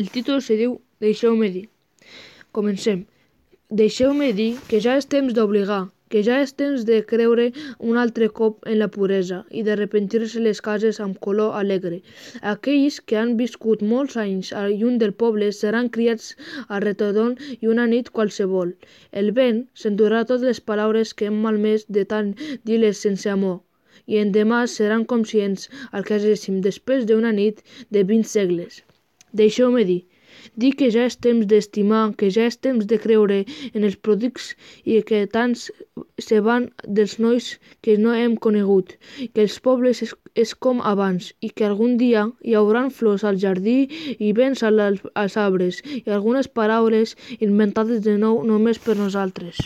El títol se diu Deixeu-me dir. Comencem. Deixeu-me dir que ja és temps d'obligar, que ja és temps de creure un altre cop en la puresa i de repentir-se les cases amb color alegre. Aquells que han viscut molts anys lluny del poble seran criats a retorn i una nit qualsevol. El vent s'endurà totes les paraules que hem malmès de tant dir-les sense amor i endemà seran conscients al que hagéssim després d'una nit de 20 segles. Deixeu-me dir. Dir que ja és temps d'estimar, que ja és temps de creure en els prodigs i que tants se van dels nois que no hem conegut, que els pobles és com abans i que algun dia hi haurà flors al jardí i vents als arbres i algunes paraules inventades de nou només per nosaltres.